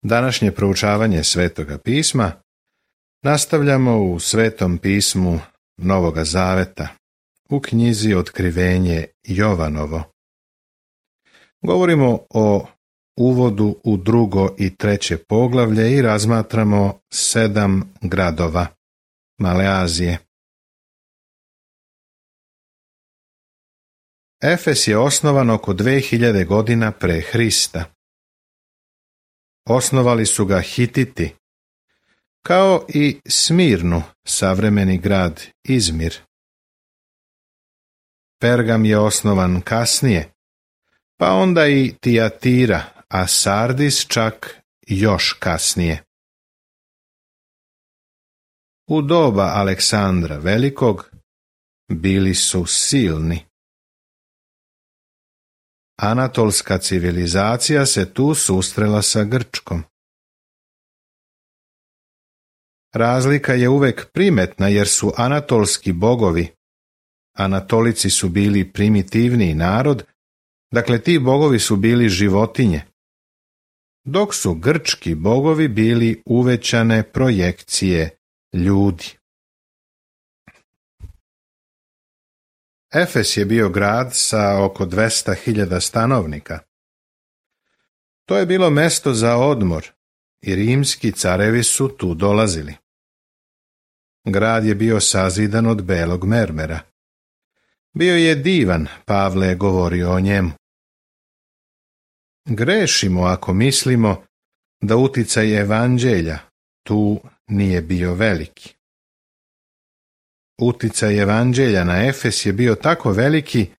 Današnje proučavanje Svetoga pisma nastavljamo u Svetom pismu Novoga Zaveta, u knjizi Otkrivenje Jovanovo. Govorimo o uvodu u 2. i 3. poglavlje i razmatramo 7 gradova Male Azije. Efes je osnovan oko 2000 godina pre Hrista. Osnovali su ga Hititi, kao i Smirnu, savremeni grad Izmir. Pergam je osnovan kasnije, pa onda i Tijatira, a Sardis čak još kasnije. U doba Aleksandra Velikog bili su silni. Anatolska civilizacija se tu susrela sa Grčkom. Razlika je uvek primetna jer su anatolski bogovi, Anatolici su bili primitivniji narod, dakle ti bogovi su bili životinje, dok su grčki bogovi bili uvećane projekcije ljudi. Efes je bio grad sa oko 200.000 stanovnika. To je bilo mesto za odmor i rimski carevi su tu dolazili. Grad je bio sazidan od belog mermera. Bio je divan, Pavle je govorio o njemu. Grešimo ako mislimo da uticaj evanđelja tu nije bio veliki. Uticaj evanđelja na Efes je bio tako veliki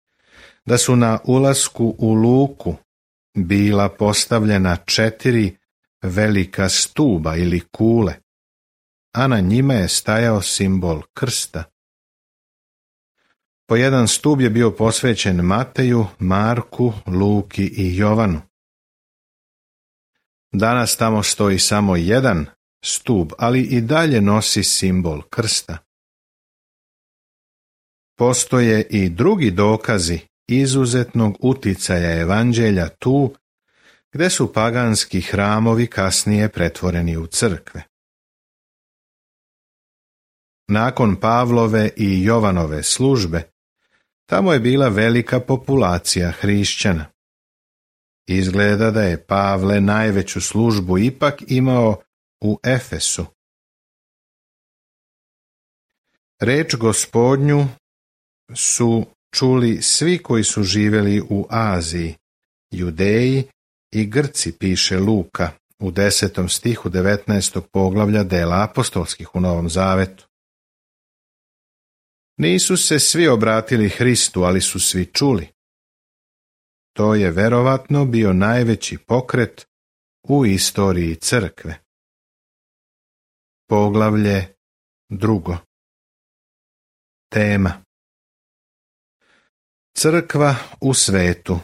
da su na ulasku u luku bila postavljena 4 velika stuba ili kule, a na njima je stajao simbol krsta. Po jedan stub je bio posvećen Mateju, Marku, Luki i Jovanu. Danas tamo stoji samo jedan stub, ali i dalje nosi simbol krsta. Postoje i drugi dokazi izuzetnog uticaja evanđelja tu, gde su paganski hramovi kasnije pretvoreni u crkve. Nakon Pavlove i Jovanove službe, tamo je bila velika populacija hrišćana. Izgleda da je Pavle najveću službu ipak imao u Efesu. Reč Gospodnju su čuli svi koji su živjeli u Aziji, Judeji i Grci, piše Luka u 10. stihu 19. poglavlja Dela apostolskih u Novom Zavetu. Nisu se svi obratili Hristu, ali su svi čuli. To je verovatno bio najveći pokret u istoriji crkve. Poglavlje 2. Tema: Crkva u svetu.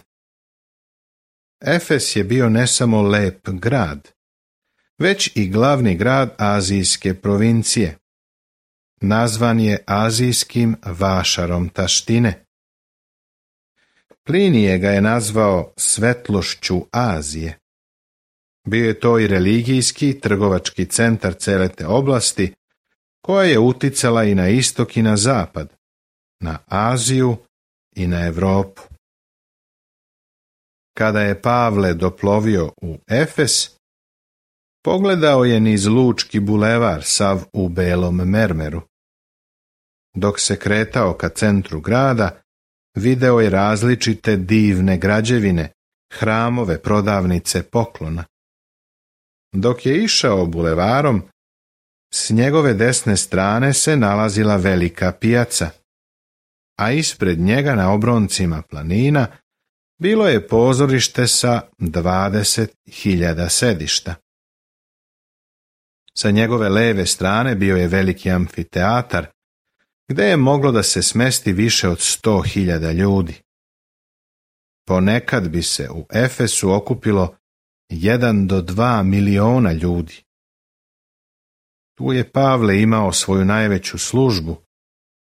Efes je bio ne samo lep grad, već i glavni grad azijske provincije. Nazvan je azijskim vašarom taštine. Plinije ga je nazvao svetlošću Azije. Bio je to i religijski i trgovački centar cele te oblasti, koja je uticala i na istok i na zapad, na Aziju i na Evropu. Kada je Pavle doplovio u Efes, pogledao je niz Lučki bulevar sav u belom mermeru. Dok se kretao ka centru grada, video je različite divne građevine, hramove, prodavnice poklona. Dok je išao bulevarom, s njegove desne strane se nalazila velika pijaca, a ispred njega na obroncima planina bilo je pozorište sa 20.000 sedišta. Sa njegove leve strane bio je veliki amfiteatar, gde je moglo da se smesti više od 100.000 ljudi. Ponekad bi se u Efesu okupilo 1 do 2 miliona ljudi. Tu je Pavle imao svoju najveću službu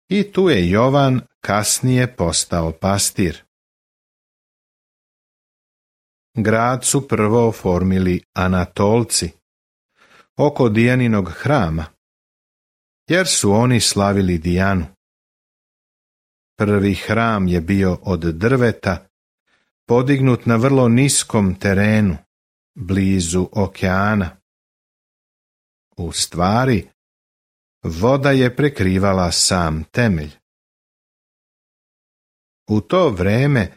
i tu je Jovan kasnije postao pastir. grad su prvo oformili Anatolci oko Dijaninog hrama, jer su oni slavili Dijanu. Prvi hram je bio od drveta, podignut na vrlo niskom terenu, blizu okeana. U stvari, voda je prekrivala sam temelj. U to vreme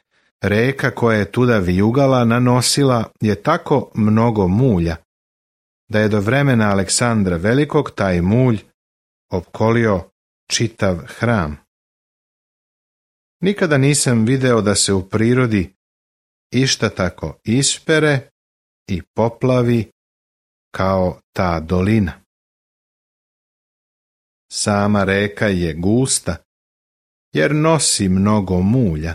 reka koja je tuda vijugala nanosila je tako mnogo mulja, da je do vremena Aleksandra Velikog taj mulj opkolio čitav hram. Nikada nisam video da se u prirodi išta tako ispere i poplavi kao ta dolina. Sama reka je gusta, jer nosi mnogo mulja.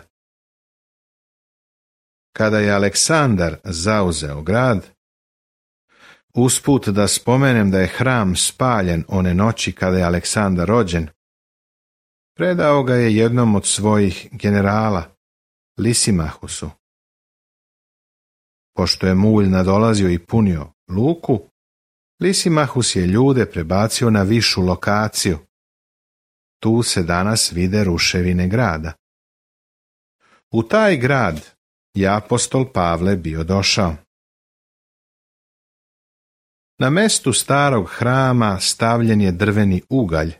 Kada je Aleksandar zauzeo grad, usput da spomenem da je hram spaljen one noći kada je Aleksandar rođen, predao ga je jednom od svojih generala, Lisimahusu. Pošto je mulj nadolazio i punio luku, Lisimahus je ljude prebacio na višu lokaciju. Tu se danas vide ruševine grada. U taj grad je apostol Pavle bio došao. Na mestu starog hrama stavljen je drveni ugalj,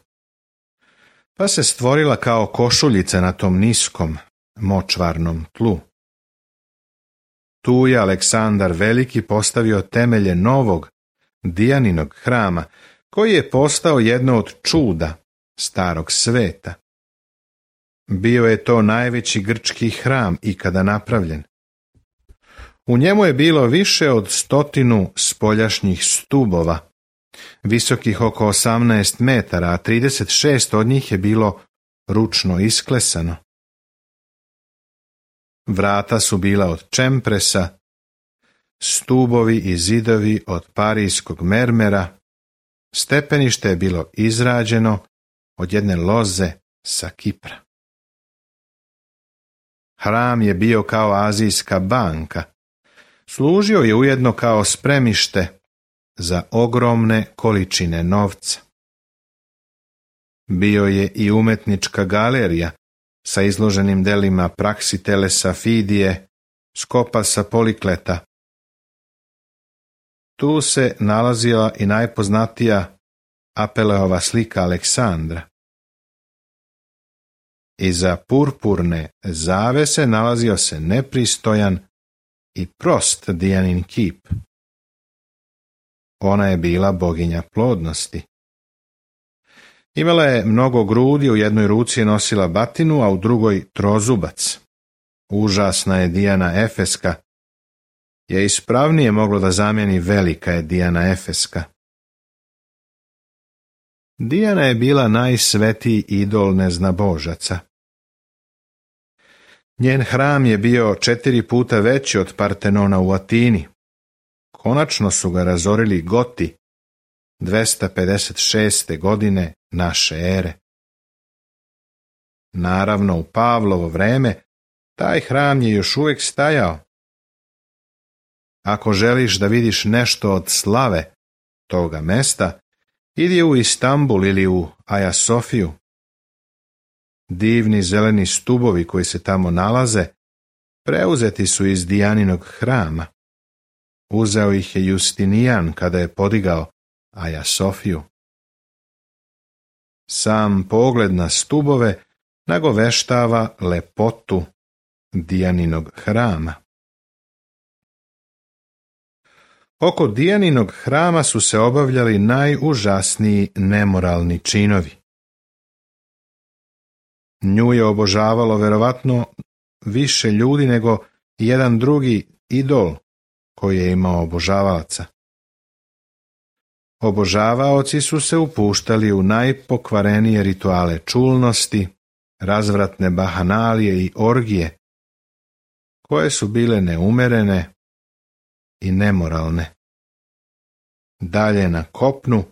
pa se stvorila kao košuljica na tom niskom, močvarnom tlu. Tu je Aleksandar Veliki postavio temelje novog, Dijaninog hrama, koji je postao jedno od čuda starog sveta. Bio je to najveći grčki hram ikada napravljen. U njemu je bilo više od 100 spoljašnjih stubova, visokih oko 18 metara, a 36 od njih je bilo ručno isklesano. Vrata su bila od čempresa, stubovi i zidovi od parijskog mermera, stepenište je bilo izrađeno od jedne loze sa Kipra. Hram je bio kao azijska banka, služio je ujedno kao spremište za ogromne količine novca. Bio je i umetnička galerija sa izloženim delima Praksitelesa Fidije, Skopasa Polikleta. Tu se nalazila i najpoznatija Apeleova slika Aleksandra. Iza purpurne zavese nalazio se nepristojan i prost Dijanin kip. Ona je bila boginja plodnosti. Imala je mnogo grudi, u jednoj ruci je nosila batinu, a u drugoj trozubac. Užasna je Dijana Efeska, je ispravnije moglo da zamijeni velika je Dijana Efeska. Dijana je bila najsvetiji idol neznabožaca. Njen hram je bio 4 puta veći od Partenona u Atini. Konačno su ga razorili Goti 256. godine naše ere. Naravno, u Pavlovo vreme taj hram je još uvijek stajao. Ako želiš da vidiš nešto od slave toga mesta, idi u Istanbul ili u Aja Sofiju. Divni zeleni stubovi koji se tamo nalaze preuzeti su iz Dijaninog hrama. Uzeo ih je Justinijan kada je podigao Aja Sofiju. Sam pogled na stubove nagoveštava lepotu Dijaninog hrama. Oko Dijaninog hrama su se obavljali najužasniji nemoralni činovi. Nju je obožavalo verovatno više ljudi nego jedan drugi idol koji je imao obožavalaca. Obožavaoci su se upuštali u najpokvarenije rituale čulnosti, razvratne bahanalije i orgije, koje su bile neumerene i nemoralne. Dalje na kopnu,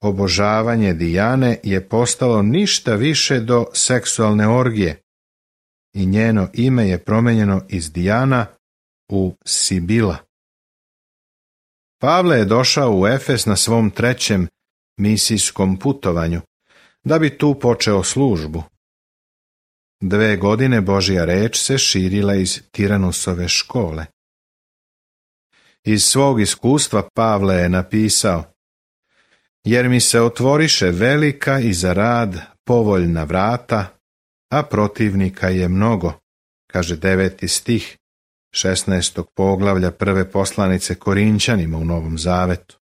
obožavanje Dijane je postalo ništa više do seksualne orgije i njeno ime je promijenjeno iz Dijana u Sibila. Pavle je došao u Efes na svom 3. misijskom putovanju, da bi tu počeo službu. 2 godine Božja reč se širila iz Tiranusove škole. Iz svog iskustva Pavle je napisao: jer mi se otvoriše velika i za rad povoljna vrata, a protivnika je mnogo, kaže 9. stih 16. poglavlja 1. poslanice Korinćanima u Novom Zavetu.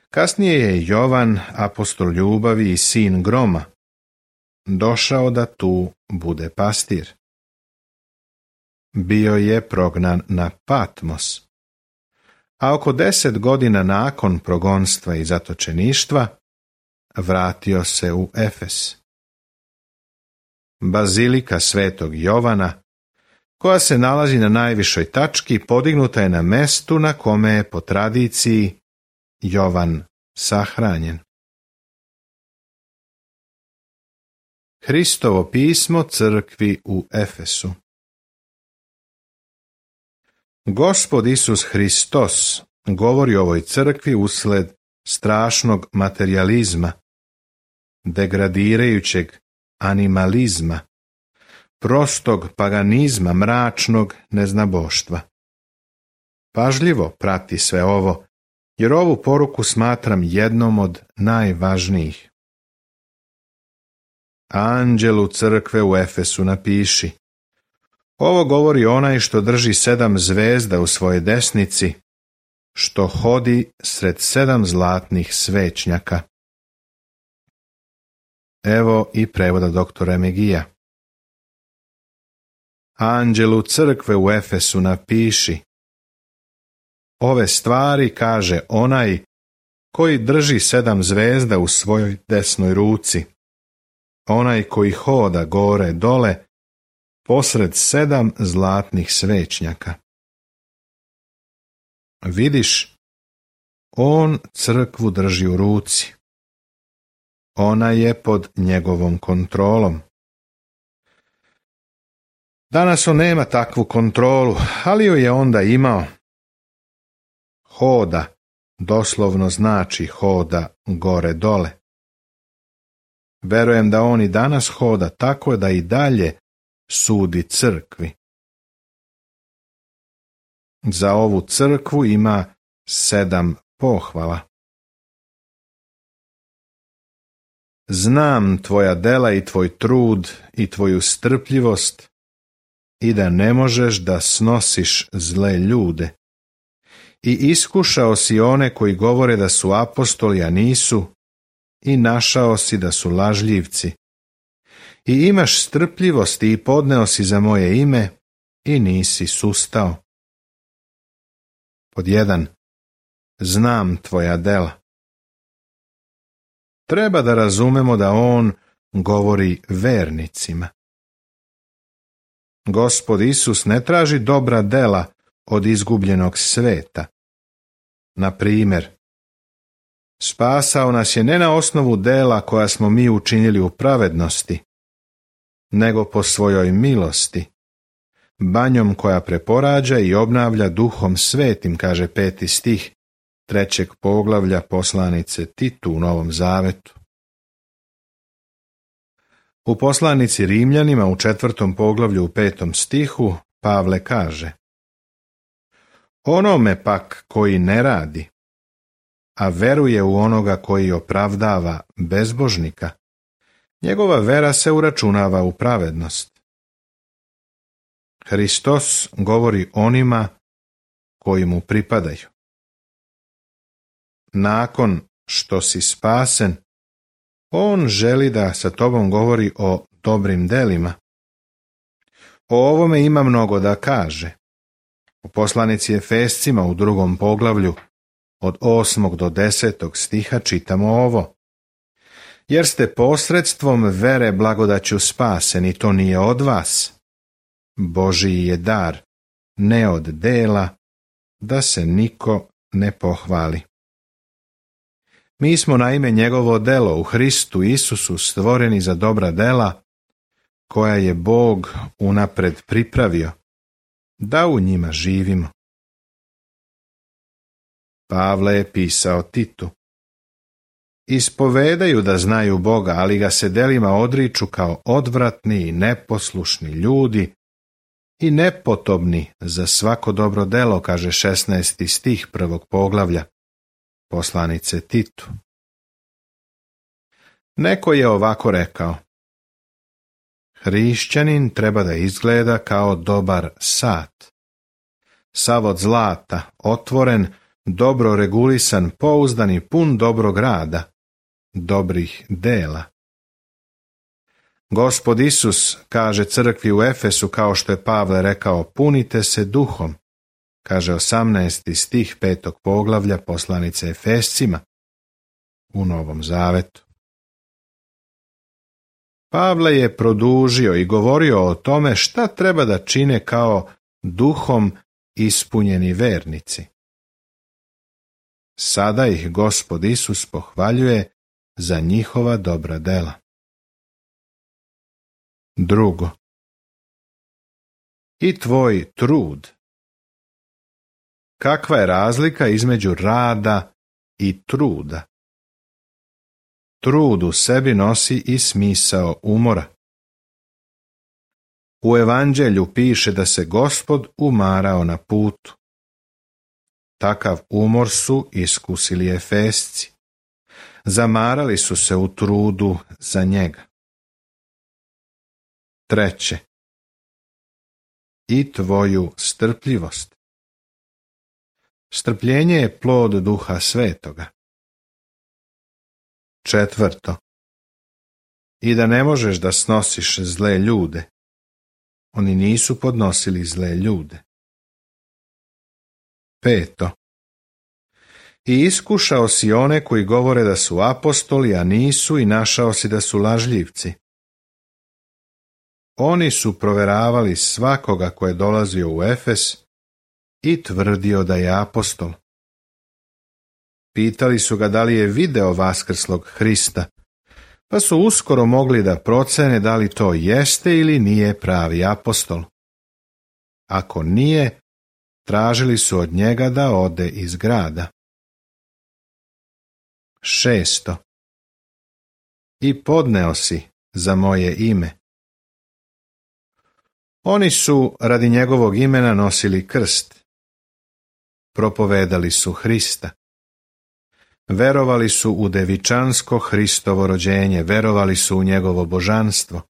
Kasnije je Jovan, apostol ljubavi i sin groma, došao da tu bude pastir. Bio je prognan na Patmos, a oko 10 godina nakon progonstva i zatočeništva vratio se u Efes. Bazilika Svetog Jovana, koja se nalazi na najvišoj tački, podignuta je na mestu na kome je po tradiciji Jovan sahranjen. Hristovo pismo crkvi u Efesu. Gospod Isus Hristos govori o ovoj crkvi usled strašnog materijalizma, degradirajućeg animalizma, prostog paganizma, mračnog neznaboštva. Pažljivo prati sve ovo, jer ovu poruku smatram jednom od najvažnijih. Anđelu crkve u Efesu napiši: ovo govori onaj što drži 7 zvezda u svojoj desnici, što hodi sred 7 zlatnih svećnjaka. Evo i prevoda doktora Megija. Anđelu crkve u Efesu napiši: ove stvari kaže onaj koji drži 7 zvezda u svojoj desnoj ruci, onaj koji hoda gore dole posred 7 zlatnih svećnjaka. Vidiš, on crkvu drži u ruci. Ona je pod njegovom kontrolom. Danas on nema takvu kontrolu, ali ju je onda imao. Hoda doslovno znači hoda gore dole. Verujem da on i danas hoda tako da i dalje sudi crkvi. Za ovu crkvu ima 7 pohvala. Znam tvoja dela i tvoj trud i tvoju strpljivost i da ne možeš da snosiš zle ljude. I iskušao si one koji govore da su apostoli, a nisu, i našao si da su lažljivci. I imaš strpljivosti i podneo si za moje ime i nisi sustao. Pod 1. Znam tvoja dela. Treba da razumemo da on govori vernicima. Gospod Isus ne traži dobra dela od izgubljenog sveta. Na primjer, spasao nas je ne na osnovu dela koja smo mi učinili u pravednosti, nego po svojoj milosti, banjom koja preporađa i obnavlja Duhom Svetim, kaže 5. stih 3. poglavlja poslanice Titu u Novom Zavetu. U poslanici Rimljanima u 4. poglavlju u 5. stihu Pavle kaže: onome pak koji ne radi, a veruje u onoga koji opravdava bezbožnika, njegova vera se uračunava u pravednost. Hristos govori onima koji mu pripadaju. Nakon što si spasen, on želi da sa tobom govori o dobrim delima. O ovome ima mnogo da kaže. U poslanici Efescima u 2. poglavlju od 8. do 10. stiha čitamo ovo: jer ste posredstvom vere blagodaću spaseni, to nije od vas. Božiji je dar, ne od dela, da se niko ne pohvali. Mi smo naime njegovo delo u Hristu Isusu stvoreni za dobra dela, koja je Bog unapred pripravio, da u njima živimo. Pavle je pisao Titu. Ispovedaju da znaju Boga, ali ga se delima odriču kao odvratni i neposlušni ljudi i nepotobni za svako dobro delo, kaže 16. stih 1. poglavlja poslanice Titu. Neko je ovako rekao: hrišćanin treba da izgleda kao dobar sat. Sav od zlata, otvoren, dobro regulisan, pouzdan i pun dobrog rada, dobrih dela. Gospod Isus kaže crkvi u Efesu, kao što je Pavle rekao, punite se duhom, kaže 18. stih 5. poglavlja poslanice Efescima u Novom Zavetu. Pavle je produžio i govorio o tome šta treba da čine kao duhom ispunjeni vernici. Sada ih Gospod Isus pohvaljuje za njihova dobra dela. Drugo. I tvoj trud. Kakva je razlika između rada i truda? Trud u sebi nosi i smisao umora. U Evanđelju piše da se Gospod umarao na putu. Takav umor su iskusili Efesci. Zamarali su se u trudu za njega. Treće. I tvoju strpljivost. Strpljenje je plod Duha Svetoga. Četvrto. I da ne možeš da snosiš zle ljude. Oni nisu podnosili zle ljude. Peto. I iskušao si one koji govore da su apostoli, a nisu, i našao si da su lažljivci. Oni su proveravali svakoga ko je dolazio u Efes i tvrdio da je apostol. Pitali su ga da li je video vaskrslog Hrista, pa su uskoro mogli da procene da li to jeste ili nije pravi apostol. Ako nije, tražili su od njega da ode iz grada. Šesto. I podneo si za moje ime. Oni su radi njegovog imena nosili krst. Propovedali su Hrista. Verovali su u devičansko Hristovo rođenje, verovali su u njegovo božanstvo,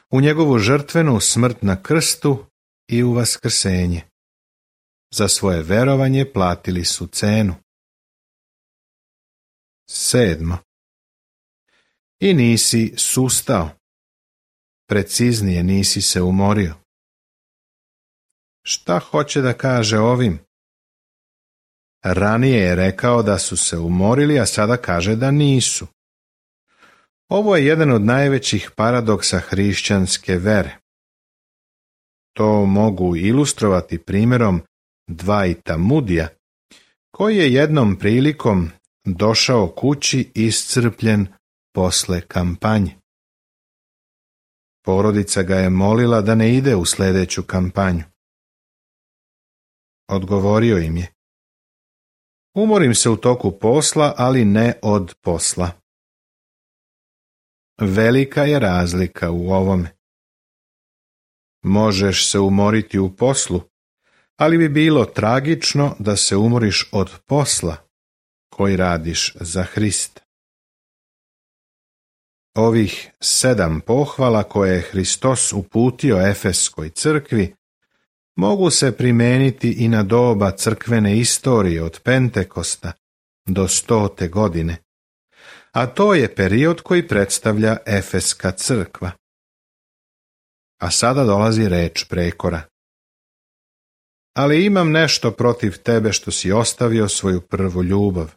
u njegovu žrtvenu smrt na krstu i u vaskrsenje. Za svoje verovanje platili su cenu. Sedmo. I nisi sustao. Preciznije, nisi se umorio. Šta hoće da kaže ovim? Ranije je rekao da su se umorili, a sada kaže da nisu. Ovo je jedan od najvećih paradoksa hrišćanske vere. To mogu ilustrovati primjerom Dwighta Moodyja, koji je jednom prilikom došao kući iscrpljen posle kampanje. Porodica ga je molila da ne ide u sljedeću kampanju. Odgovorio im je: umorim se u toku posla, ali ne od posla. Velika je razlika u ovome. Možeš se umoriti u poslu, ali bi bilo tragično da se umoriš od posla koji radiš za Hrista. Ovih 7 pohvala koje je Hristos uputio Efeskoj crkvi mogu se primijeniti i na doba crkvene istorije od Pentekosta do 100. godine, a to je period koji predstavlja Efeska crkva. A sada dolazi reč prekora. Ali imam nešto protiv tebe što si ostavio svoju prvu ljubav.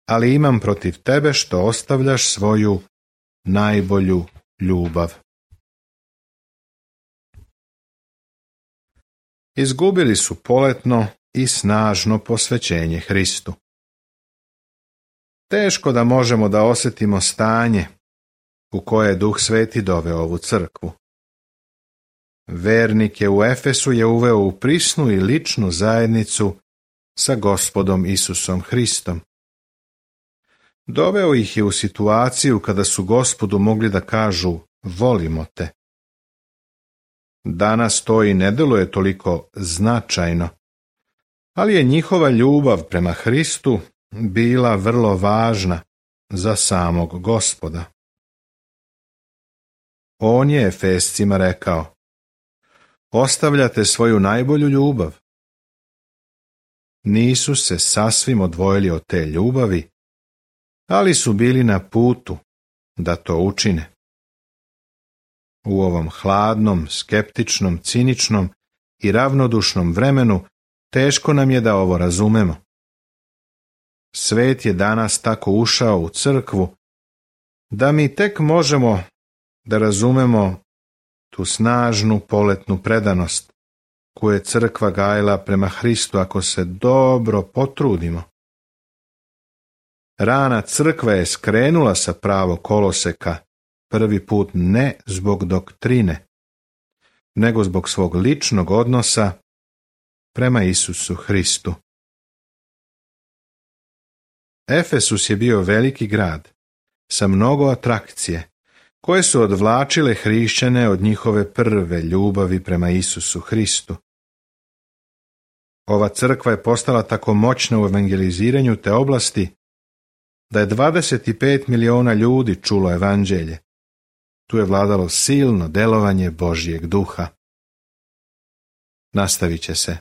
Ali imam protiv tebe što ostavljaš svoju najbolju ljubav. Izgubili su poletno i snažno posvećenje Hristu. Teško da možemo da osjetimo stanje u koje je Duh Sveti doveo ovu crkvu. Vernike u Efesu je uveo u prisnu i ličnu zajednicu sa Gospodom Isusom Hristom. Doveo ih je u situaciju kada su Gospodu mogli da kažu volimo te. Danas to i ne deluje toliko značajno, ali je njihova ljubav prema Hristu bila vrlo važna za samog Gospoda. On je Efescima rekao: ostavljate svoju najbolju ljubav. Nisu se sasvim odvojili od te ljubavi, ali su bili na putu da to učine. U ovom hladnom, skeptičnom, ciničnom i ravnodušnom vremenu teško nam je da ovo razumemo. Svet je danas tako ušao u crkvu da mi tek možemo da razumemo tu snažnu poletnu predanost koju je crkva gajila prema Hristu ako se dobro potrudimo. Rana crkva je skrenula sa pravog koloseka prvi put ne zbog doktrine, nego zbog svog ličnog odnosa prema Isusu Hristu. Efesus je bio veliki grad sa mnogo atrakcije koje su odvlačile hrišćane od njihove prve ljubavi prema Isusu Hristu. Ova crkva je postala tako moćna u evangeliziranju te oblasti da je 25 miliona ljudi čulo evanđelje. Tu je vladalo silno delovanje Božjeg duha. Nastavit će se.